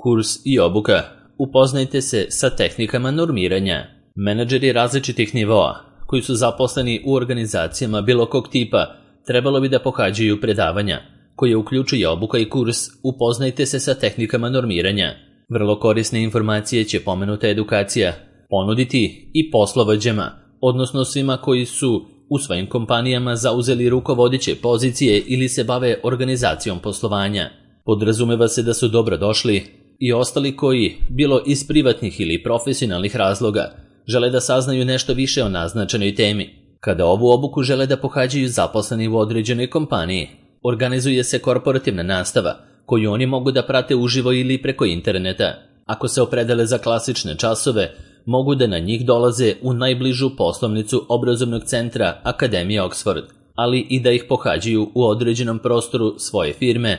Kurs i obuka. Upoznajte se sa tehnikama normiranja. Menadžeri različitih nivoa, koji su zaposleni u organizacijama bilo kog tipa, trebalo bi da pohađaju predavanja, koje uključuje obuka i kurs Upoznajte se sa tehnikama normiranja. Vrlo korisne informacije će pomenuta edukacija ponuditi i poslovođama, odnosno svima koji su u svojim kompanijama zauzeli rukovodeće pozicije ili se bave organizacijom poslovanja. Podrazumeva se da su dobro došli i ostali koji, bilo iz privatnih ili profesionalnih razloga, žele da saznaju nešto više o naznačenoj temi. Kada ovu obuku žele da pohađaju zaposleni u određenoj kompaniji, organizuje se korporativna nastava, koju oni mogu da prate uživo ili preko interneta. Ako se opredele za klasične časove, mogu da na njih dolaze u najbližu poslovnicu obrazovnog centra Akademije Oxford, ali i da ih pohađaju u određenom prostoru svoje firme,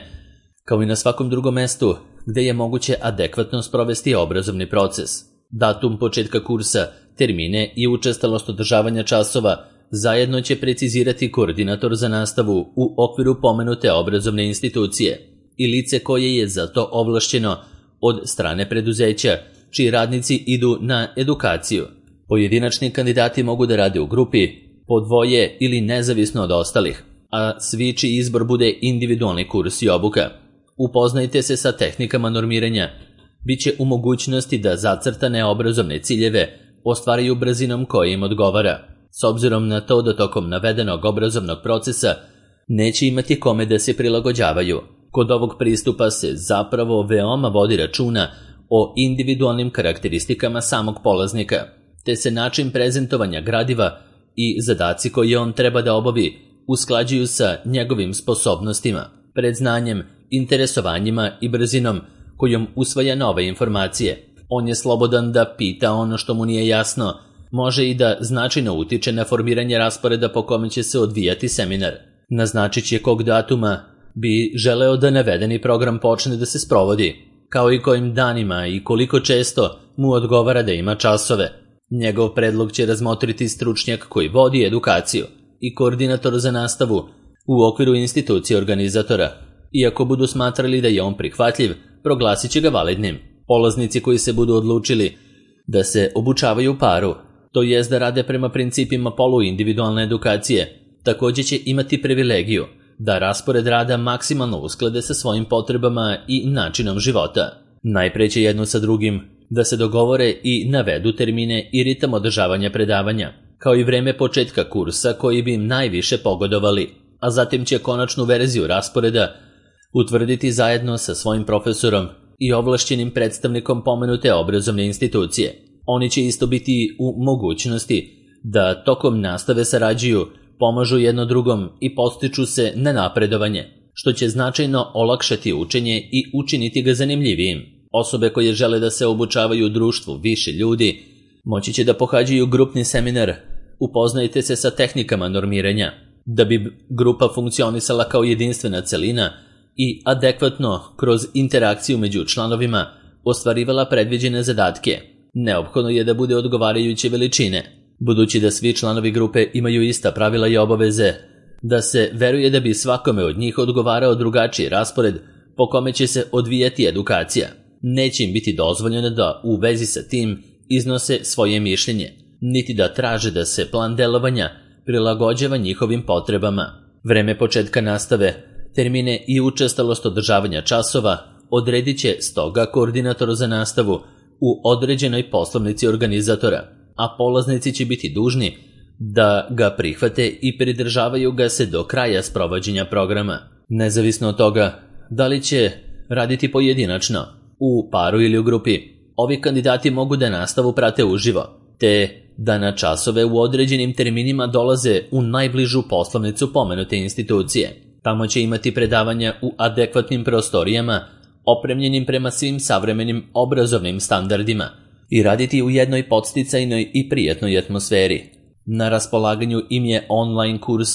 kao i na svakom drugom mestu gde je moguće adekvatno sprovesti obrazovni proces. Datum početka kursa, termine i učestalost održavanja časova zajedno će precizirati koordinator za nastavu u okviru pomenute obrazovne institucije i lice koje je za to ovlašćeno od strane preduzeća, čiji radnici idu na edukaciju. Pojedinačni kandidati mogu da rade u grupi, po dvoje ili nezavisno od ostalih, a svi čiji izbor bude individualni kurs i obuka. Upoznajte se sa tehnikama normiranja. Biće u mogućnosti da zacrtane obrazovne ciljeve ostvaraju brzinom koja im odgovara. S obzirom na to da tokom navedenog obrazovnog procesa neće imati kome da se prilagođavaju. Kod ovog pristupa se zapravo veoma vodi računa o individualnim karakteristikama samog polaznika, te se način prezentovanja gradiva i zadaci koje on treba da obavi usklađuju sa njegovim sposobnostima, predznanjem, interesovanjima i brzinom kojom usvaja nove informacije. On je slobodan da pita ono što mu nije jasno, može i da značajno utiče na formiranje rasporeda po kome će se odvijati seminar. Naznačit će kog datuma bi želeo da navedeni program počne da se sprovodi, kao i kojim danima i koliko često mu odgovara da ima časove. Njegov predlog će razmotriti stručnjak koji vodi edukaciju i koordinator za nastavu u okviru institucije organizatora. Iako budu smatrali da je on prihvatljiv, proglasit će ga validnim. Polaznici koji se budu odlučili da se obučavaju u paru, to jest da rade prema principima poluindividualne edukacije, također će imati privilegiju da raspored rada maksimalno usklade sa svojim potrebama i načinom života. Najpre će jedno sa drugim da se dogovore i navedu termine i ritam održavanja predavanja, kao i vreme početka kursa koji bi im najviše pogodovali, a zatim će konačnu verziju rasporeda utvrditi zajedno sa svojim profesorom i ovlašćenim predstavnikom pomenute obrazovne institucije. Oni će isto biti u mogućnosti da tokom nastave sarađuju, pomažu jedno drugom i podstiču se na napredovanje, što će značajno olakšati učenje i učiniti ga zanimljivijim. Osobe koje žele da se obučavaju u društvu više ljudi moći će da pohađaju grupni seminar Upoznajte se sa tehnikama normiranja, da bi grupa funkcionisala kao jedinstvena celina i adekvatno kroz interakciju među članovima ostvarivala predviđene zadatke. Neophodno je da bude odgovarajuće veličine, budući da svi članovi grupe imaju ista pravila i obaveze, da se veruje da bi svakome od njih odgovarao drugačiji raspored po kome će se odvijati edukacija. Neće im biti dozvoljeno da u vezi sa tim iznose svoje mišljenje, niti da traže da se plan delovanja prilagođava njihovim potrebama. Vreme početka nastave, termine i učestalost održavanja časova odredit će stoga koordinator za nastavu u određenoj poslovnici organizatora, a polaznici će biti dužni da ga prihvate i pridržavaju ga se do kraja sprovođenja programa. Nezavisno od toga da li će raditi pojedinačno, u paru ili u grupi, ovi kandidati mogu da nastavu prate uživo, te da na časove u određenim terminima dolaze u najbližu poslovnicu pomenute institucije. Tamo će imati predavanja u adekvatnim prostorijama, opremljenim prema svim savremenim obrazovnim standardima i raditi u jednoj podsticajnoj i prijatnoj atmosferi. Na raspolaganju im je online kurs,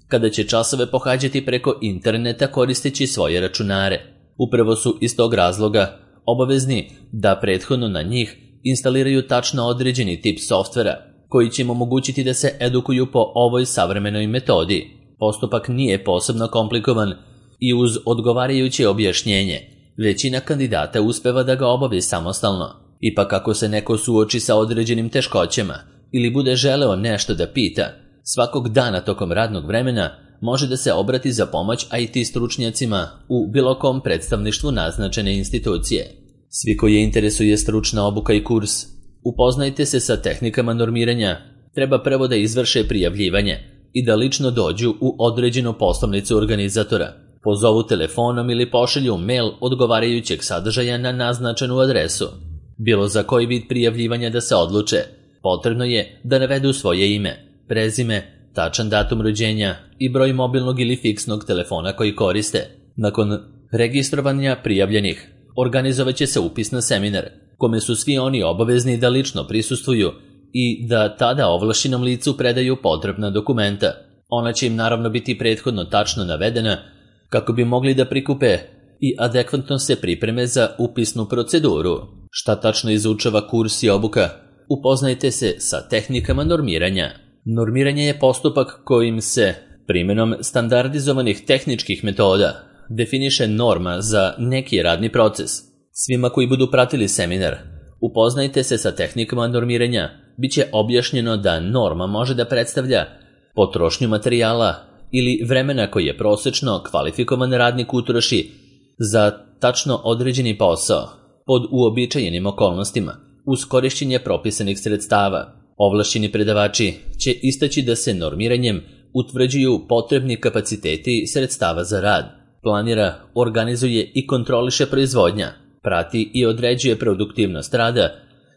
kada će časove pohađati preko interneta koristeći svoje računare. Upravo su iz tog razloga obavezni da prethodno na njih instaliraju tačno određeni tip softvera, koji će im omogućiti da se edukuju po ovoj savremenoj metodi. Postupak nije posebno komplikovan i uz odgovarajuće objašnjenje Većina kandidata uspeva da ga obavi samostalno. Ipak ako se neko suoči sa određenim teškoćama ili bude želeo nešto da pita, svakog dana tokom radnog vremena može da se obrati za pomoć IT stručnjacima u bilo kom predstavništvu naznačene institucije. Svi koji je interesuje stručna obuka i kurs, upoznajte se sa tehnikama normiranja, treba prvo da izvrše prijavljivanje i da lično dođu u određenu poslovnicu organizatora. Pozovu telefonom ili pošalju mail odgovarajućeg sadržaja na naznačenu adresu. Bilo za koji vid prijavljivanja da se odluče, potrebno je da navedu svoje ime, prezime, tačan datum rođenja i broj mobilnog ili fiksnog telefona koji koriste. Nakon registrovanja prijavljenih, organizovat će se upis na seminar, kome su svi oni obavezni da lično prisustvuju i da tada ovlašćenom licu predaju potrebna dokumenta. Ona će im naravno biti prethodno tačno navedena kako bi mogli da prikupe i adekvatno se pripreme za upisnu proceduru. Šta tačno izučava kurs i obuka? Upoznajte se sa tehnikama normiranja. Normiranje je postupak kojim se primjenom standardizovanih tehničkih metoda definiše norma za neki radni proces. Svima koji budu pratili seminar, upoznajte se sa tehnikama normiranja, bit će objašnjeno da norma može da predstavlja potrošnju materijala ili vremena koji je prosečno kvalifikovan radnik utroši za tačno određeni posao pod uobičajenim okolnostima uz korišćenje propisanih sredstava. Ovlašćeni predavači će istaći da se normiranjem utvrđuju potrebni kapaciteti sredstava za rad, planira, organizuje i kontroliše proizvodnja, prati i određuje produktivnost rada,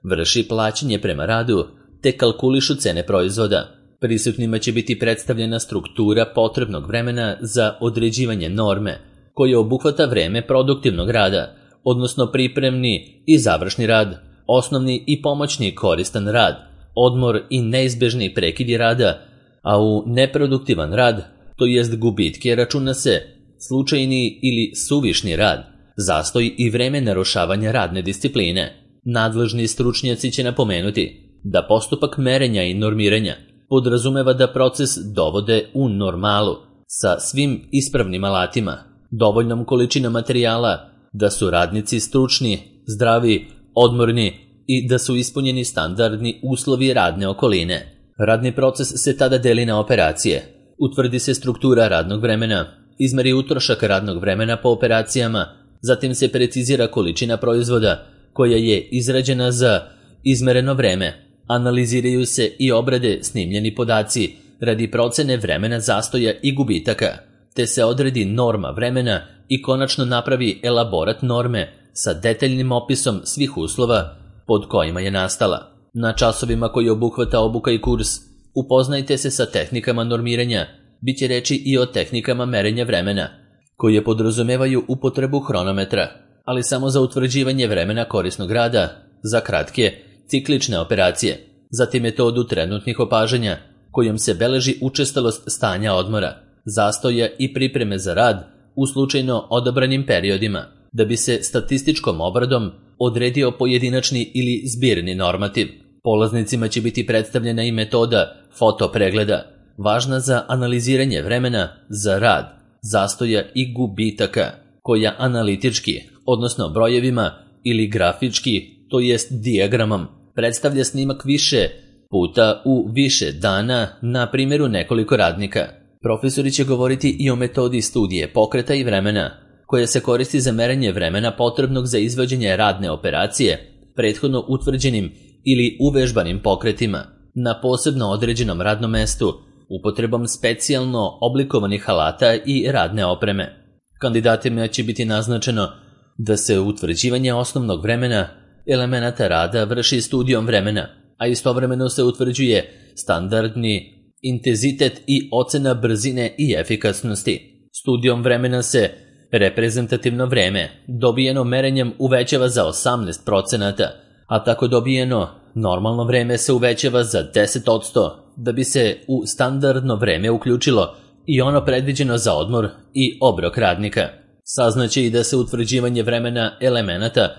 vrši plaćanje prema radu te kalkulišu cene proizvoda. Prisutnima će biti predstavljena struktura potrebnog vremena za određivanje norme, koje obuhvata vreme produktivnog rada, odnosno pripremni i završni rad, osnovni i pomoćni koristan rad, odmor i neizbežni prekidi rada, a u neproduktivan rad, to jest gubitke, računa se slučajni ili suvišni rad, zastoj i vreme narušavanja radne discipline. Nadležni stručnjaci će napomenuti da postupak merenja i normiranja podrazumeva da proces dovode u normalu sa svim ispravnim alatima, dovoljnom količinom materijala, da su radnici stručni, zdravi, odmorni i da su ispunjeni standardni uslovi radne okoline. Radni proces se tada deli na operacije. Utvrdi se struktura radnog vremena, izmeri utrošak radnog vremena po operacijama, zatim se precizira količina proizvoda koja je izrađena za izmereno vreme. Analiziraju se i obrade snimljeni podaci radi procene vremena zastoja i gubitaka, te se odredi norma vremena i konačno napravi elaborat norme sa detaljnim opisom svih uslova pod kojima je nastala. Na časovima koji obuhvata obuka i kurs, upoznajte se sa tehnikama normiranja, bit će reči i o tehnikama merenja vremena, koje podrazumevaju upotrebu hronometra, ali samo za utvrđivanje vremena korisnog rada, za kratke, ciklične operacije, zatim metodu trenutnih opažanja, kojom se beleži učestalost stanja odmora, zastoja i pripreme za rad u slučajno odabranim periodima, da bi se statističkom obradom odredio pojedinačni ili zbirni normativ. Polaznicima će biti predstavljena i metoda fotopregleda, važna za analiziranje vremena za rad, zastoja i gubitaka, koja analitički, odnosno brojevima ili grafički, to jest dijagramom, predstavlja snimak više puta u više dana na primjeru nekoliko radnika. Profesori će govoriti i o metodi studije pokreta i vremena, koja se koristi za merenje vremena potrebnog za izvođenje radne operacije, prethodno utvrđenim ili uvežbanim pokretima, na posebno određenom radnom mestu, upotrebom specijalno oblikovanih alata i radne opreme. Kandidatima će biti naznačeno da se utvrđivanje osnovnog vremena elemenata rada vrši studijom vremena, a istovremeno se utvrđuje standardni intenzitet i ocena brzine i efikasnosti. Studijom vremena se reprezentativno vreme dobijeno merenjem uvećava za 18%, a tako dobijeno normalno vreme se uvećava za 10%, da bi se u standardno vreme uključilo i ono predviđeno za odmor i obrok radnika. Saznaće i da se utvrđivanje vremena elemenata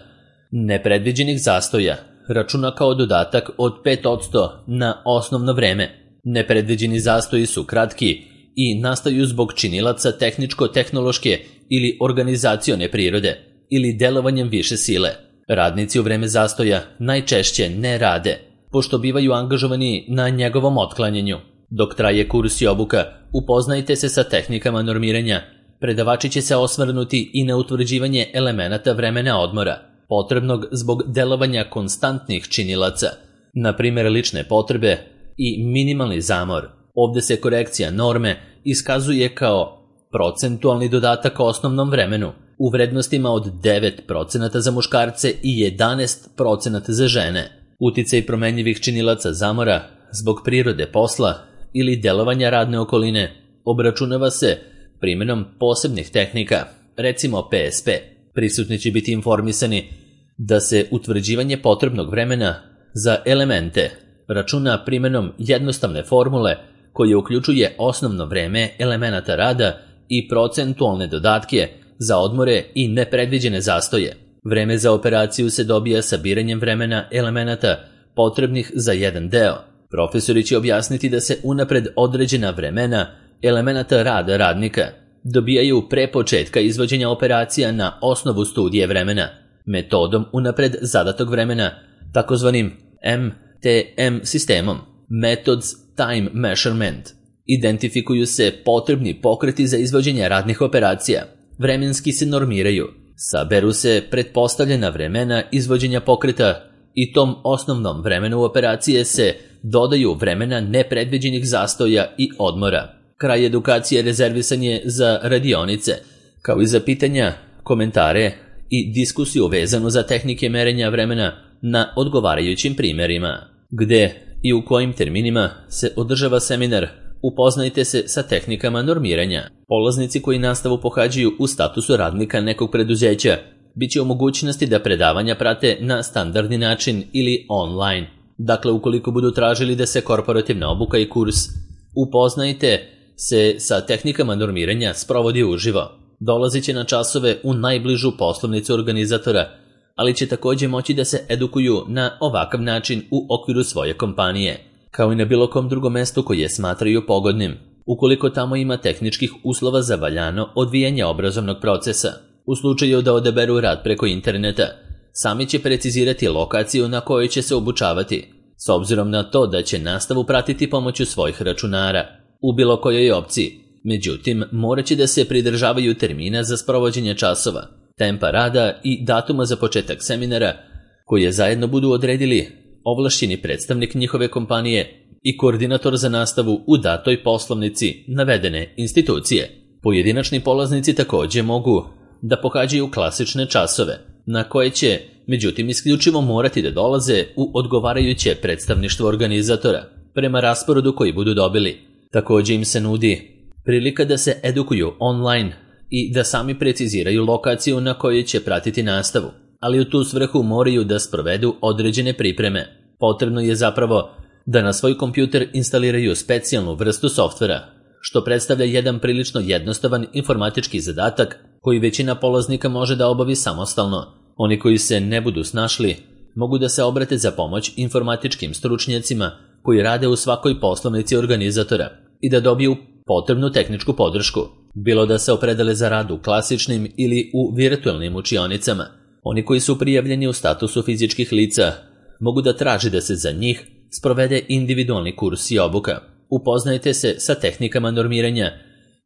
nepredviđenih zastoja računa kao dodatak od 5% na osnovno vreme. Nepredviđeni zastoji su kratki i nastaju zbog činilaca tehničko-tehnološke ili organizacione prirode. ili delovanjem više sile. Radnici u vreme zastoja najčešće ne rade, pošto bivaju angažovani na njegovom otklanjanju. Dok traje kurs i obuka, upoznajte se sa tehnikama normiranja. Predavači će se osvrnuti i na utvrđivanje elemenata vremena odmora, potrebnog zbog delovanja konstantnih činilaca, na primjer lične potrebe i minimalni zamor. Ovdje se korekcija norme iskazuje kao procentualni dodatak osnovnom vremenu u vrednostima od 9% za muškarce i 11% za žene. Uticaj promenjivih činilaca zamora zbog prirode posla ili delovanja radne okoline obračunava se primjenom posebnih tehnika, recimo PSP. Prisutni će biti informisani da se utvrđivanje potrebnog vremena za elemente računa primjenom jednostavne formule koje uključuje osnovno vreme elemenata rada i procentualne dodatke za odmore i nepredviđene zastoje. Vreme za operaciju se dobija sabiranjem vremena elemenata potrebnih za jedan deo. Profesori će objasniti da se unapred određena vremena elemenata rada radnika dobijaju pre početka izvođenja operacija na osnovu studije vremena, metodom unapred zadatog vremena, takozvanim MTM sistemom, Methods Time Measurement. Identifikuju se potrebni pokreti za izvođenje radnih operacija, vremenski se normiraju, saberu se pretpostavljena vremena izvođenja pokreta i tom osnovnom vremenu operacije se dodaju vremena nepredviđenih zastoja i odmora. Kraj edukacije rezervisan je za radionice, kao i za pitanja, komentare i diskusiju vezanu za tehnike merenja vremena na odgovarajućim primjerima. Gde i u kojim terminima se održava seminar, upoznajte se sa tehnikama normiranja. Polaznici koji nastavu pohađaju u statusu radnika nekog preduzeća bit će u mogućnosti da predavanja prate na standardni način ili online. Dakle, ukoliko budu tražili da se korporativna obuka i kurs upoznajte se sa tehnikama normiranja sprovodi uživo. Dolazit će na časove u najbližu poslovnicu organizatora, ali će također moći da se edukuju na ovakav način u okviru svoje kompanije, kao i na bilo kom drugom mestu koje smatraju pogodnim, ukoliko tamo ima tehničkih uslova za valjano odvijanje obrazovnog procesa. U slučaju da odaberu rad preko interneta, sami će precizirati lokaciju na kojoj će se obučavati, s obzirom na to da će nastavu pratiti pomoću svojih računara, u bilo kojoj opciji. Međutim, morat će da se pridržavaju termina za sprovođenje časova, tempa rada i datuma za početak seminara, koje zajedno budu odredili ovlašćeni predstavnik njihove kompanije i koordinator za nastavu u datoj poslovnici navedene institucije. Pojedinačni polaznici također mogu da pohađaju klasične časove, na koje će, međutim, isključivo morati da dolaze u odgovarajuće predstavništvo organizatora, prema rasporedu koji budu dobili. Također im se nudi prilika da se edukuju online i da sami preciziraju lokaciju na kojoj će pratiti nastavu, ali u tu svrhu moraju da sprovedu određene pripreme. Potrebno je zapravo da na svoj kompjuter instaliraju specijalnu vrstu softvera, što predstavlja jedan prilično jednostavan informatički zadatak koji većina polaznika može da obavi samostalno. Oni koji se ne budu snašli mogu da se obrate za pomoć informatičkim stručnjacima koji rade u svakoj poslovnici organizatora i da dobiju potrebnu tehničku podršku, bilo da se opredele za rad u klasičnim ili u virtualnim učionicama. Oni koji su prijavljeni u statusu fizičkih lica mogu da traži da se za njih sprovede individualni kurs i obuka. Upoznajte se sa tehnikama normiranja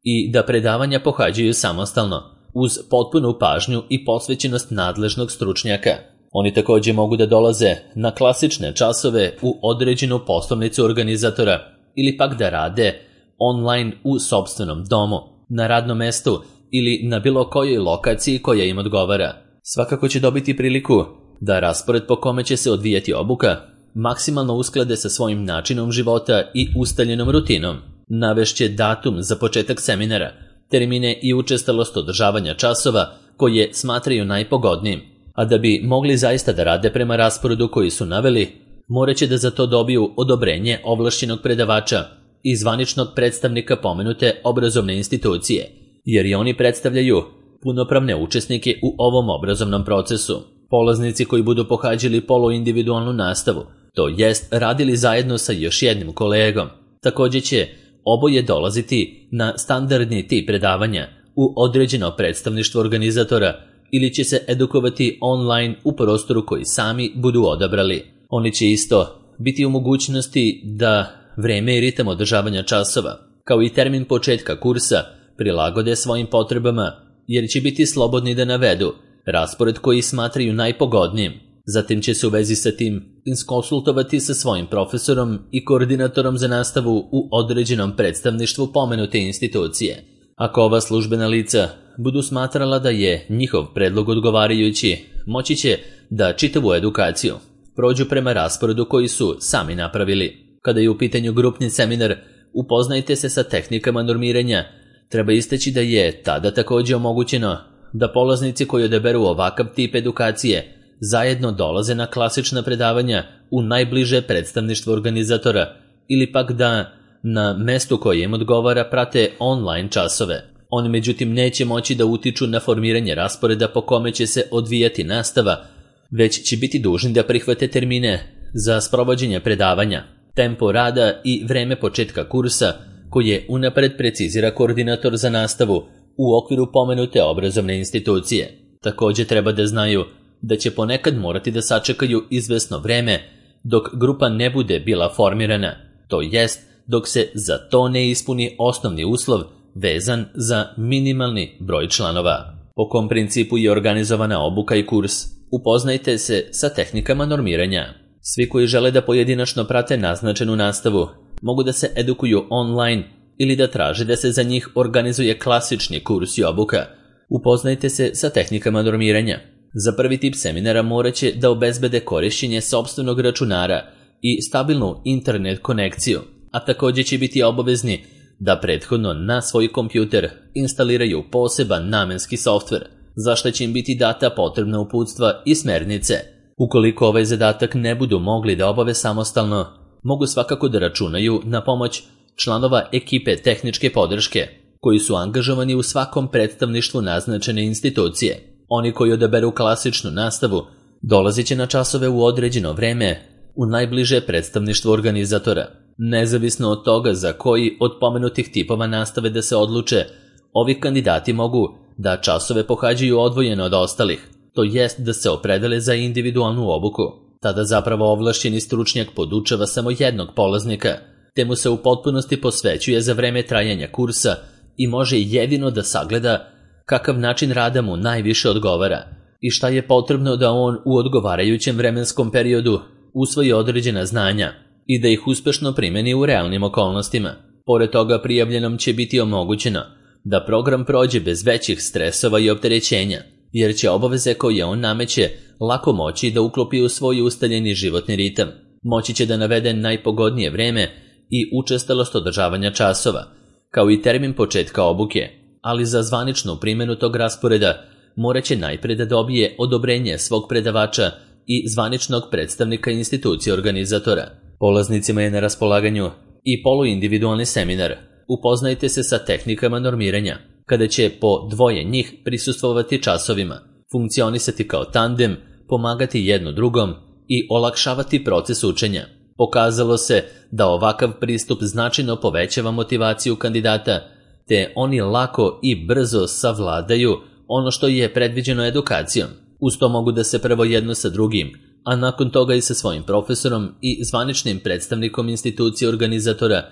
i da predavanja pohađaju samostalno, uz potpunu pažnju i posvećenost nadležnog stručnjaka. Oni također mogu da dolaze na klasične časove u određenu poslovnicu organizatora ili pak da rade online u sopstvenom domu, na radnom mestu ili na bilo kojoj lokaciji koja im odgovara. Svakako će dobiti priliku da raspored po kome će se odvijati obuka maksimalno usklade sa svojim načinom života i ustaljenom rutinom. Navešće datum za početak seminara, termine i učestalost održavanja časova koje smatraju najpogodnijim, a da bi mogli zaista da rade prema rasporedu koji su naveli, morat će da za to dobiju odobrenje ovlašćenog predavača i zvaničnog predstavnika pomenute obrazovne institucije, jer i oni predstavljaju punopravne učesnike u ovom obrazovnom procesu. Polaznici koji budu pohađali poluindividualnu nastavu, to jest radili zajedno sa još jednim kolegom, također će oboje dolaziti na standardni tip predavanja u određeno predstavništvo organizatora ili će se edukovati online u prostoru koji sami budu odabrali. Oni će isto biti u mogućnosti da vreme i ritam održavanja časova, kao i termin početka kursa, prilagode svojim potrebama, jer će biti slobodni da navedu raspored koji smatraju najpogodnijim. Zatim će se u vezi sa tim iskonsultovati sa svojim profesorom i koordinatorom za nastavu u određenom predstavništvu pomenute institucije. Ako ova službena lica budu smatrala da je njihov predlog odgovarajući, moći će da čitavu edukaciju prođu prema rasporedu koji su sami napravili. Kada je u pitanju grupni seminar Upoznajte se sa tehnikama normiranja, treba istaći da je tada također omogućeno da polaznici koji odaberu ovakav tip edukacije zajedno dolaze na klasična predavanja u najbliže predstavništvo organizatora ili pak da na mestu koje im odgovara prate online časove. Oni međutim neće moći da utiču na formiranje rasporeda po kome će se odvijati nastava, već će biti dužni da prihvate termine za sprovođenje predavanja, tempo rada i vreme početka kursa koje unapred precizira koordinator za nastavu u okviru pomenute obrazovne institucije. Također treba da znaju da će ponekad morati da sačekaju izvesno vreme dok grupa ne bude bila formirana, to jest dok se za to ne ispuni osnovni uslov vezan za minimalni broj članova. Po kom principu je organizovana obuka i kurs? Upoznajte se sa tehnikama normiranja. Svi koji žele da pojedinačno prate naznačenu nastavu mogu da se edukuju online ili da traže da se za njih organizuje klasični kurs i obuka. Upoznajte se sa tehnikama normiranja. Za prvi tip seminara morat će da obezbede korišćenje sopstvenog računara i stabilnu internet konekciju, a također će biti obavezni da prethodno na svoj kompjuter instaliraju poseban namenski softver, za što će im biti data potrebna uputstva i smernice. Ukoliko ovaj zadatak ne budu mogli da obave samostalno, mogu svakako da računaju na pomoć članova ekipe tehničke podrške, koji su angažovani u svakom predstavništvu naznačene institucije. Oni koji odaberu klasičnu nastavu dolazit će na časove u određeno vreme u najbliže predstavništvo organizatora. Nezavisno od toga za koji od pomenutih tipova nastave da se odluče, ovi kandidati mogu da časove pohađaju odvojeno od ostalih, to jest da se opredele za individualnu obuku. Tada zapravo ovlašćeni stručnjak podučava samo jednog polaznika, te mu se u potpunosti posvećuje za vreme trajanja kursa i može jedino da sagleda kakav način rada mu najviše odgovara i šta je potrebno da on u odgovarajućem vremenskom periodu usvoji određena znanja i da ih uspešno primeni u realnim okolnostima. Pored toga prijavljenom će biti omogućeno da program prođe bez većih stresova i opterećenja, jer će obaveze koje on nameće lako moći da uklopi u svoj ustaljeni životni ritam. Moći će da navede najpogodnije vreme i učestalost održavanja časova, kao i termin početka obuke, ali za zvaničnu primjenu tog rasporeda morat će najpre da dobije odobrenje svog predavača i zvaničnog predstavnika institucije organizatora. Polaznicima je na raspolaganju i poluindividualni seminar. Upoznajte se sa tehnikama normiranja, kada će po dvoje njih prisustvovati časovima, funkcionisati kao tandem, pomagati jedno drugom i olakšavati proces učenja. Pokazalo se da ovakav pristup značajno povećava motivaciju kandidata, te oni lako i brzo savladaju ono što je predviđeno edukacijom. Uz to mogu da se prvo jedno sa drugim, a nakon toga i sa svojim profesorom i zvaničnim predstavnikom institucije organizatora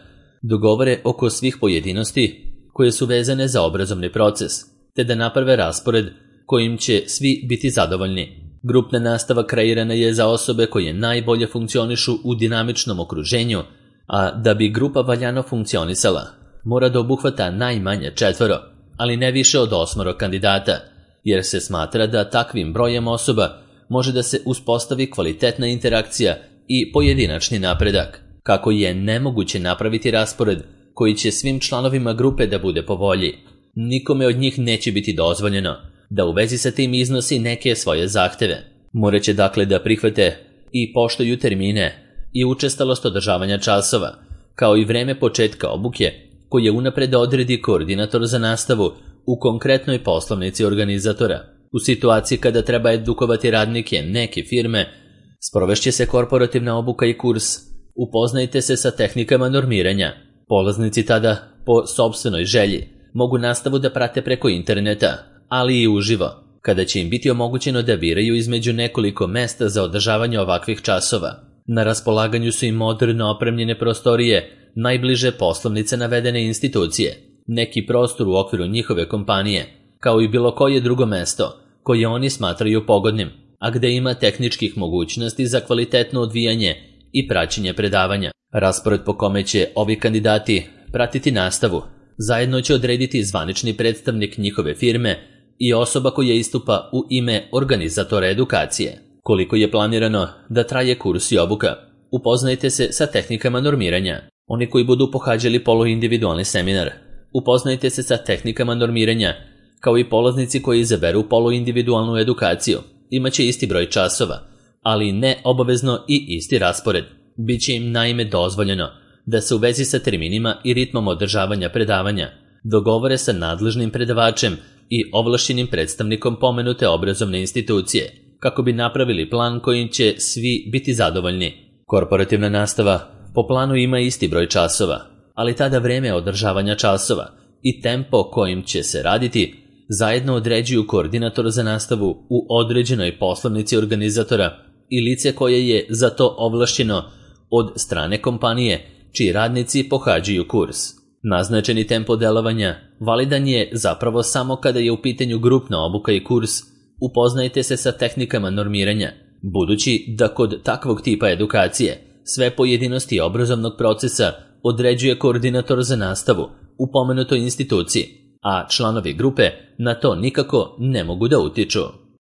dogovore oko svih pojedinosti koje su vezane za obrazovni proces, te da naprave raspored kojim će svi biti zadovoljni. Grupna nastava kreirana je za osobe koje najbolje funkcionišu u dinamičnom okruženju, a da bi grupa valjano funkcionisala, mora da obuhvata najmanje 4, ali ne više od 8 kandidata, jer se smatra da takvim brojem osoba može da se uspostavi kvalitetna interakcija i pojedinačni napredak. Kako je nemoguće napraviti raspored koji će svim članovima grupe da bude po volji, nikome od njih neće biti dozvoljeno da u vezi sa tim iznosi neke svoje zahteve. Morat će dakle da prihvate i poštuju termine i učestalost održavanja časova, kao i vreme početka obuke koje unapred odredi koordinator za nastavu u konkretnoj poslovnici organizatora. U situaciji kada treba edukovati radnike neke firme, sprovešće se korporativna obuka i kurs. Upoznajte se sa tehnikama normiranja. Polaznici tada, po sopstvenoj želji, mogu nastavu da prate preko interneta, ali i uživo. kada će im biti omogućeno da biraju između nekoliko mesta za održavanje ovakvih časova. Na raspolaganju su im moderno opremljene prostorije, najbliže poslovnice navedene institucije, neki prostor u okviru njihove kompanije, kao i bilo koje drugo mesto koje oni smatraju pogodnim, a gde ima tehničkih mogućnosti za kvalitetno odvijanje i praćenje predavanja. Raspored po kome će ovi kandidati pratiti nastavu zajedno će odrediti zvanični predstavnik njihove firme i osoba koja istupa u ime organizatora edukacije. Koliko je planirano da traje kurs i obuka? Upoznajte se sa tehnikama normiranja. Oni koji budu pohađali poluindividualni seminar, upoznajte se sa tehnikama normiranja, kao i polaznici koji izaberu poluindividualnu edukaciju. Imaće isti broj časova, ali ne obavezno i isti raspored. Biće im naime dozvoljeno da se u vezi sa terminima i ritmom održavanja predavanja dogovore sa nadležnim predavačem i ovlašćenim predstavnikom pomenute obrazovne institucije, kako bi napravili plan kojim će svi biti zadovoljni. Korporativna nastava po planu ima isti broj časova, ali tada vreme održavanja časova i tempo kojim će se raditi zajedno određuju koordinator za nastavu u određenoj poslovnici organizatora i lice koje je za to ovlašćeno od strane kompanije čiji radnici pohađaju kurs. Naznačeni tempo delovanja validan je zapravo samo kada je u pitanju grupna obuka i kurs. Upoznajte se sa tehnikama normiranja, budući da kod takvog tipa edukacije sve pojedinosti obrazovnog procesa određuje koordinator za nastavu u pomenutoj instituciji, a članovi grupe na to nikako ne mogu da utiču.